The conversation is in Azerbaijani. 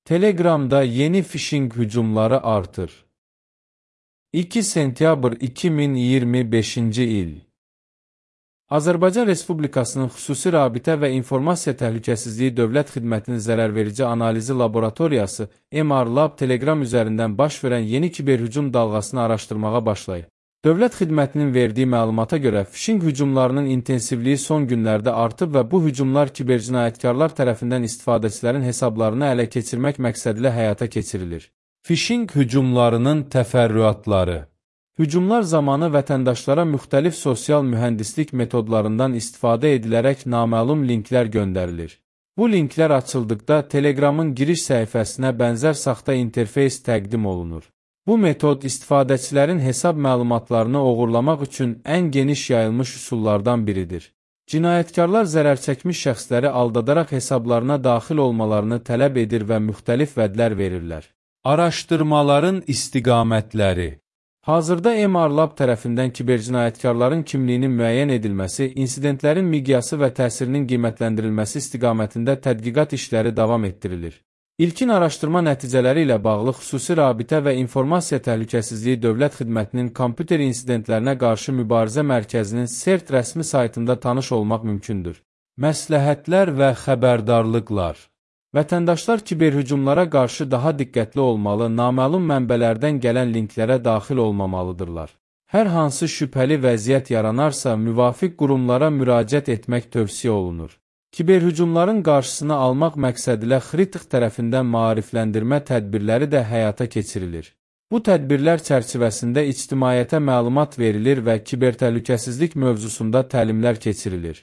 Telegramda yeni phishing hücumları artır. 2 sentyabr 2025-ci il. Azərbaycan Respublikasının Xüsusi Rabitə və İnformasiya Təhlükəsizliyi Dövlət Xidmətinin zərərverici analizi laboratoriyası MR-Lab Telegram üzərindən baş verən yeni kiberhücum dalğasını araşdırmağa başlayıb. Dövlət Xidmətinin verdiyi məlumata görə phishing hücumlarının intensivliyi son günlərdə artıb və bu hücumlar kibercinayətkarlar tərəfindən istifadəçilərin hesablarını ələ keçirmək məqsədilə həyata keçirilir. Phishing hücumlarının təfərrüatları. Hücumlar zamanı vətəndaşlara müxtəlif sosial mühəndislik metodlarından istifadə edilərək naməlum linklər göndərilir. Bu linklər açıldıqda Telegramın giriş səhifəsinə bənzər saxta interfeys təqdim olunur. Bu metod istifadəçilərin hesab məlumatlarını oğurlamaq üçün ən geniş yayılmış üsullardan biridir. Cinayətkarlar zərərçəkmiş şəxsləri aldadaraq hesablarına daxil olmalarını tələb edir və müxtəlif vədlər verirlər. Araşdırmaların istiqamətləri. Hazırda MR-Lab tərəfindən kibercinayətkarların kimliyinin müəyyən edilməsi, insidentlərin miqyası və təsirinin qiymətləndirilməsi istiqamətində tədqiqat işləri davam etdirilir. İlkin araşdırma nəticələri ilə bağlı Xüsusi Rabitə və İnformasiya Təhlükəsizliyi Dövlət Xidmətinin kompüter insidentlərinə qarşı mübarizə mərkəzinin CERT rəsmi saytında tanış olmaq mümkündür. Məsləhətlər və xəbərdarlıqlar. Vətəndaşlar kiberhücumlara qarşı daha diqqətli olmalı, naməlum mənbələrdən gələn linklərə daxil olmamalıdırlar. Hər hansı şübhəli vəziyyət yaranarsa, müvafiq qurumlara müraciət etmək tövsiyə olunur. Kiberhücumların qarşısını almaq məqsədilə Xritik tərəfindən maarifləndirmə tədbirləri də həyata keçirilir. Bu tədbirlər çərçivəsində ictimaiyyətə məlumat verilir və kibertəhlükəsizlik mövzusunda təlimlər keçirilir.